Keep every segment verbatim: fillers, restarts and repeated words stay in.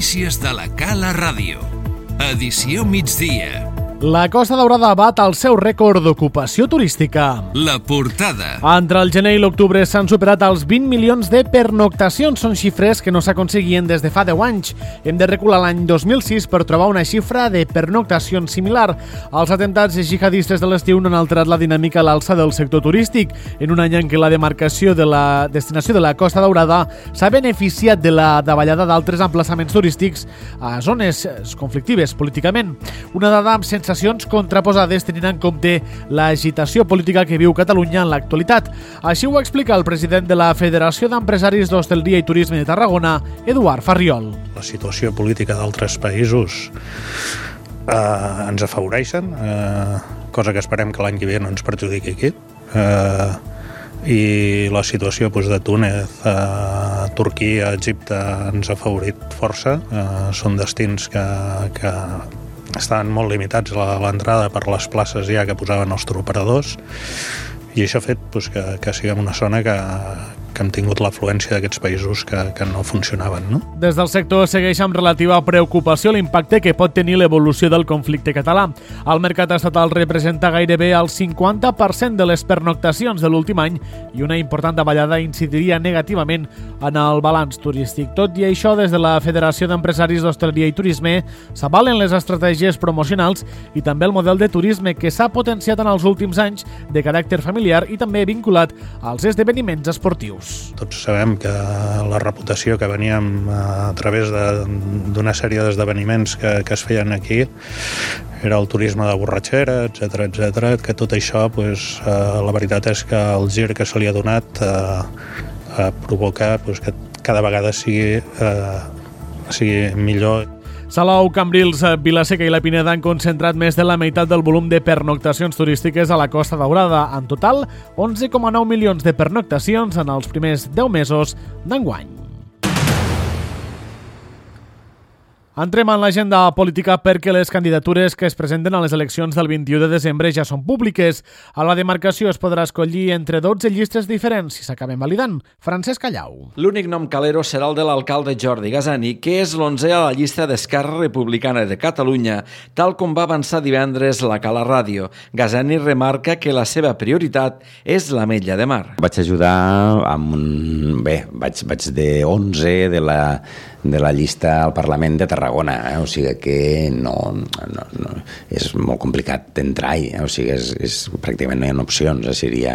notícies de la Cala Ràdio. Edició migdia. La Costa Daurada bat el seu rècord d'ocupació turística. La portada. Entre el gener i l'octubre s'han superat els vint milions de pernoctacions. Són xifres que no s'aconseguien des de fa deu anys. Hem de recular l'any dos mil sis per trobar una xifra de pernoctacions similar. Els atemptats jihadistes de l'estiu no han alterat la dinàmica a l'alça del sector turístic. En un any en què la demarcació de la destinació de la Costa Daurada s'ha beneficiat de la davallada d'altres emplaçaments turístics a zones conflictives políticament. Una dada amb sensacions contraposades tenint en compte l'agitació política que viu Catalunya en l'actualitat. Així ho explica el president de la Federació d'Empresaris d'Hostaleria i Turisme de Tarragona, Eduard Farriol. La situació política d'altres països eh, ens afavoreixen, eh, cosa que esperem que l'any que ve no ens perjudiqui aquí. Eh, i la situació doncs, de Túnez, eh, Turquia, Egipte ens ha afavorit força. Eh, són destins que, que estaven molt limitats a l'entrada per les places ja que posaven els turoperadors, i això ha fet doncs, que, que siguem una zona que, que hem tingut l'afluència d'aquests països que, que no funcionaven. No? Des del sector segueix amb relativa preocupació l'impacte que pot tenir l'evolució del conflicte català. El mercat estatal representa gairebé el cinquanta per cent de les pernoctacions de l'últim any i una important davallada incidiria negativament en el balanç turístic. Tot i això, des de la Federació d'Empresaris d'Hostaleria i Turisme s'avalen les estratègies promocionals i també el model de turisme que s'ha potenciat en els últims anys de caràcter familiar i també vinculat als esdeveniments esportius. Tots sabem que la reputació que veníem a través d'una sèrie d'esdeveniments que, que es feien aquí era el turisme de borratxera, etcètera, etcètera, que tot això, pues, eh, la veritat és que el gir que se li ha donat eh, eh, provoca pues, que cada vegada sigui, eh, sigui millor. Salou, Cambrils, Vila-seca i la Pineda han concentrat més de la meitat del volum de pernoctacions turístiques a la Costa Daurada. En total, onze coma nou milions de pernoctacions en els primers deu mesos d'enguany. Entrem en l'agenda política perquè les candidatures que es presenten a les eleccions del vint-i-u de desembre ja són públiques. A la demarcació es podrà escollir entre dotze llistes diferents si s'acaben validant. Francesc Callau. L'únic nom calero serà el de l'alcalde Jordi Gasani, que és l'onzè a la llista d'Esquerra Republicana de Catalunya, tal com va avançar divendres la Cala Ràdio. Gasani remarca que la seva prioritat és l'Ametlla de Mar. Vaig ajudar amb un... Bé, vaig, vaig de onze de la, de la llista al Parlament de Tarragona. Eh? O sigui que no, no, no, és molt complicat d'entrar-hi, eh? O sigui, és, és, pràcticament no hi ha opcions, eh? Seria,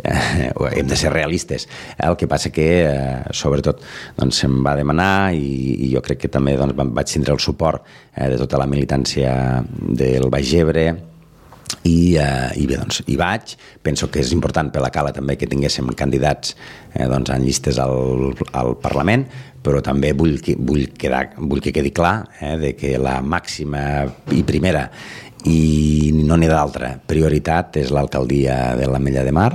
eh, hem de ser realistes. El que passa que, eh, sobretot, doncs, se'm va demanar i, i jo crec que també doncs, vaig tindre el suport eh, de tota la militància del Baix Ebre. I, eh, i bé, doncs, hi vaig. Penso que és important per la Cala també que tinguéssim candidats eh, doncs, en llistes al, al Parlament, però també vull que, vull quedar, vull que quedi clar eh, de que la màxima i primera i no n'hi ha d'altra prioritat és l'alcaldia de l'Ametlla de Mar,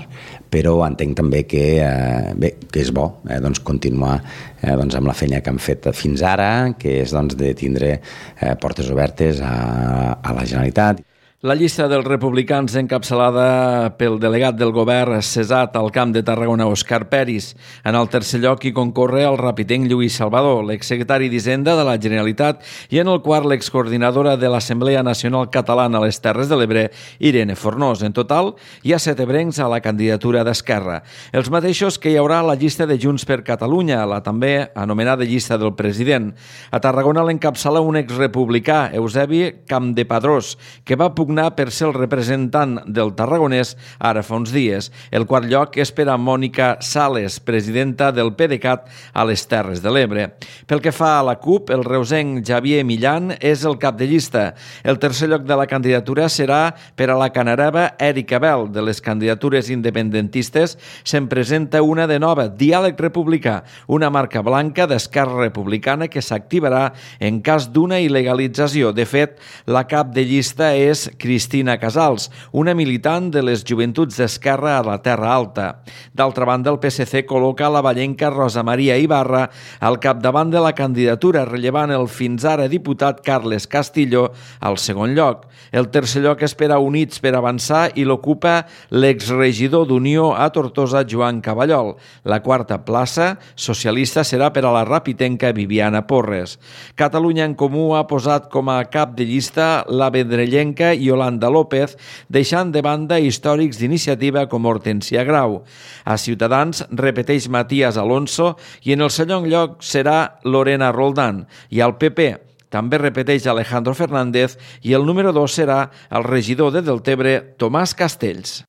però entenc també que, eh, bé, que és bo eh, doncs, continuar eh, doncs, amb la feina que hem fet fins ara, que és doncs, de tindre eh, portes obertes a, a la Generalitat. La llista dels republicans encapçalada pel delegat del govern cessat al Camp de Tarragona, Òscar Peris. En el tercer lloc hi concorre el rapitenc Lluís Salvador, l'exsecretari d'Hisenda de la Generalitat, i en el quart l'excoordinadora de l'Assemblea Nacional Catalana a les Terres de l'Ebre, Irene Fornós. En total, hi ha set ebrencs a la candidatura d'Esquerra. Els mateixos que hi haurà a la llista de Junts per Catalunya, la també anomenada llista del president. A Tarragona l'encapçala un exrepublicà, Eusebi Campdepadrós, que va pugnar per ser el representant del tarragonès ara fa uns dies. El quart lloc és per a Mònica Sales, presidenta del PDeCAT a les Terres de l'Ebre. Pel que fa a la CUP, el reusenc Xavier Millan és el cap de llista. El tercer lloc de la candidatura serà per a la canareva Èrica Bel. De les candidatures independentistes se'n presenta una de nova, Diàleg Republicà, una marca blanca d'Esquerra Republicana que s'activarà en cas d'una il·legalització. De fet, la cap de llista és Cristina Casals, una militant de les Joventuts d'Esquerra a la Terra Alta. D'altra banda, el P S C col·loca la vallenca Rosa Maria Ibarra al capdavant de la candidatura, rellevant el fins ara diputat Carles Castillo al segon lloc. El tercer lloc espera Units per avançar i l'ocupa l'exregidor d'Unió a Tortosa, Joan Cavallol. La quarta plaça socialista serà per a la rapitenca Viviana Porres. Catalunya en Comú ha posat com a cap de llista la vendrellenca Yolanda López, deixant de banda històrics d'iniciativa com Hortensia Grau. A Ciutadans repeteix Matías Alonso i en el segon lloc serà Lorena Roldán. I al P P també repeteix Alejandro Fernández i el número dos serà el regidor de Deltebre, Tomàs Castells.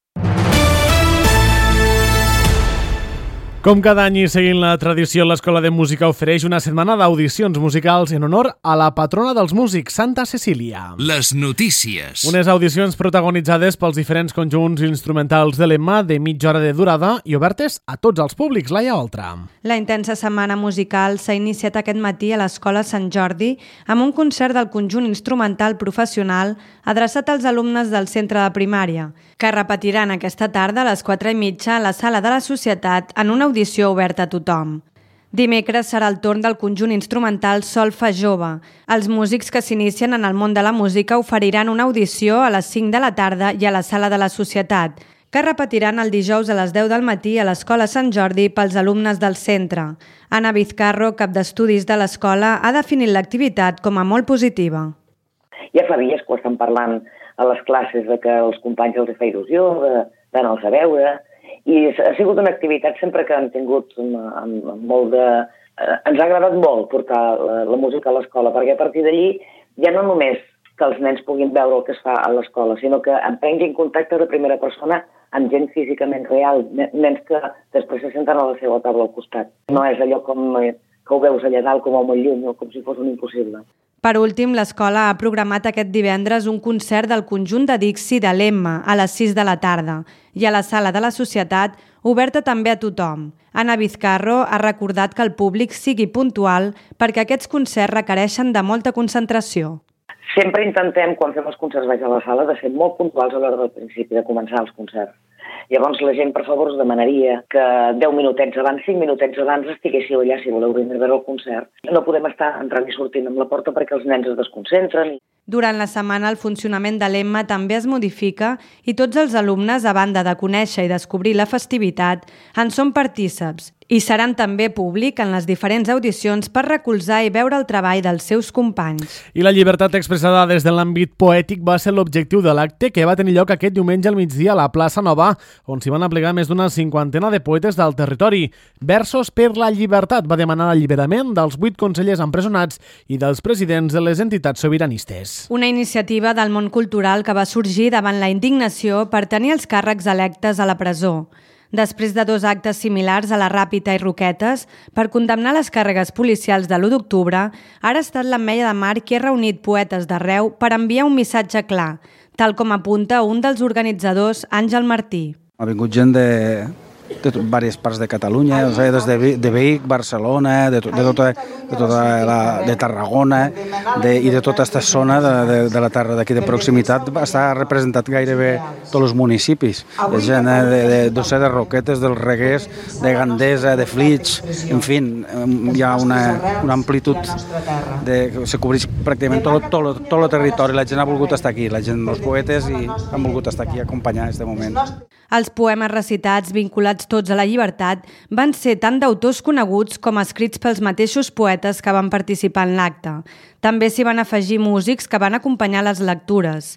Com cada any i seguint la tradició, l'Escola de Música ofereix una setmana d'audicions musicals en honor a la patrona dels músics, Santa Cecília. Les notícies. Unes audicions protagonitzades pels diferents conjunts instrumentals de l'Emma de mitja hora de durada i obertes a tots els públics. Laia Oltra. La intensa setmana musical s'ha iniciat aquest matí a l'Escola Sant Jordi amb un concert del conjunt instrumental professional adreçat als alumnes del centre de primària, que repetiran aquesta tarda a les quatre i mitja a la Sala de la Societat en una audició oberta a tothom. Dimecres serà el torn del conjunt instrumental Solfa Jove. Els músics que s'inicien en el món de la música oferiran una audició a les cinc de la tarda i a la Sala de la Societat, que repetiran el dijous a les deu del matí a l'Escola Sant Jordi pels alumnes del centre. Anna Vizcarro, cap d'estudis de l'escola, ha definit l'activitat com a molt positiva. Ja fa dies que ho estan parlant a les classes de que els companys els fa il·lusió, d'anar-los a veure, i ha sigut una activitat sempre que han tingut amb molt de... Ens ha agradat molt portar la, la música a l'escola, perquè a partir d'allí ja no només que els nens puguin veure el que es fa a l'escola, sinó que en prenguin contacte de primera persona amb gent físicament real, nens que després se senten a la seva taula al costat. No és allò com que ho veus allà dalt com a molt lluny o com si fos un impossible. Per últim, l'escola ha programat aquest divendres un concert del conjunt de Dixi de l'Emma a les sis de la tarda i a la Sala de la Societat, oberta també a tothom. Anna Vizcarro ha recordat que el públic sigui puntual perquè aquests concerts requereixen de molta concentració. Sempre intentem, quan fem els concerts baix a la sala, de ser molt puntuals a l'hora del principi, de començar els concerts. Llavors la gent, per favor, us demanaria que deu minutets abans, cinc minutets abans estiguéssiu allà si voleu venir a veure el concert. No podem estar entrant i sortint amb la porta perquè els nens es desconcentren. Durant la setmana el funcionament de l'Emma també es modifica i tots els alumnes, a banda de conèixer i descobrir la festivitat, en són partíceps i seran també públic en les diferents audicions per recolzar i veure el treball dels seus companys. I la llibertat expressada des de l'àmbit poètic va ser l'objectiu de l'acte que va tenir lloc aquest diumenge al migdia a la plaça Nova, on s'hi van aplegar més d'una cinquantena de poetes del territori. Versos per la llibertat va demanar l'alliberament dels vuit consellers empresonats i dels presidents de les entitats sobiranistes. Una iniciativa del món cultural que va sorgir davant la indignació per tenir els càrrecs electes a la presó. Després de dos actes similars a la Ràpita i Roquetes per condemnar les càrregues policials de l'u d'octubre, ara ha estat l'Ametlla de Mar qui ha reunit poetes d'arreu per enviar un missatge clar, tal com apunta un dels organitzadors, Àngel Martí. Ha vingut gent de, de diverses parts de Catalunya, o sigui, des de, de Vic, Barcelona, de, de, tota, de, tota la, de Tarragona de, i de tota aquesta zona de, de, de la terra d'aquí de proximitat. Està representat gairebé tots els municipis. De gent de, de, de, de, de Roquetes, dels Reguers, de Gandesa, de Flix, en fi, hi ha una, una amplitud de, que se cobreix pràcticament tot, tot, tot el territori. La gent ha volgut estar aquí, la gent, els poetes, i han volgut estar aquí a acompanyar aquest moment. Els poemes recitats, vinculats tots a la llibertat, van ser tant d'autors coneguts com escrits pels mateixos poetes que van participar en l'acte. També s'hi van afegir músics que van acompanyar les lectures.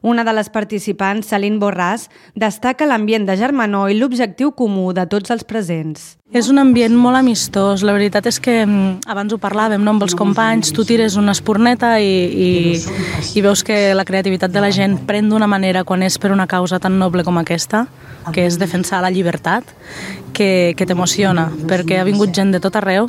Una de les participants, Celine Borràs, destaca l'ambient de germanor i l'objectiu comú de tots els presents. És un ambient molt amistós. La veritat és que abans ho parlàvem, no, amb els companys, tu tires una espurneta i, i, i veus que la creativitat de la gent pren d'una manera quan és per una causa tan noble com aquesta, que és defensar la llibertat, que, que t'emociona, perquè ha vingut gent de tot arreu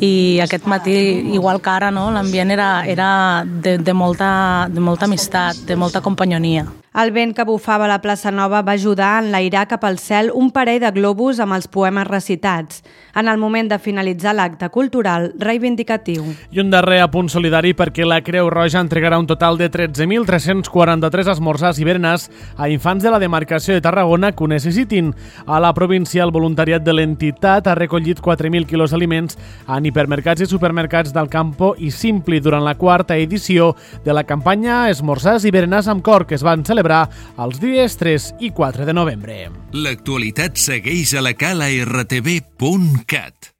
i aquest matí, igual que ara, no, l'ambient era, era de, de, molta, de molta amistat, de molta companyonia. El vent que bufava a la plaça Nova va ajudar a enlairar cap al cel un parell de globus amb els poemes recitats, en el moment de finalitzar l'acte cultural reivindicatiu. I un darrer apunt solidari perquè la Creu Roja entregarà un total de tretze mil tres-cents quaranta-tres esmorzars i berenars a infants de la demarcació de Tarragona que ho necessitin. A la província, el voluntariat de l'entitat ha recollit quatre mil quilos d'aliments en hipermercats i supermercats del Campo i Simpli durant la quarta edició de la campanya Esmorzars i berenars amb cor, que es van celebrar els dies tres i quatre de novembre. L'actualitat segueix a la cala r t v punt cat.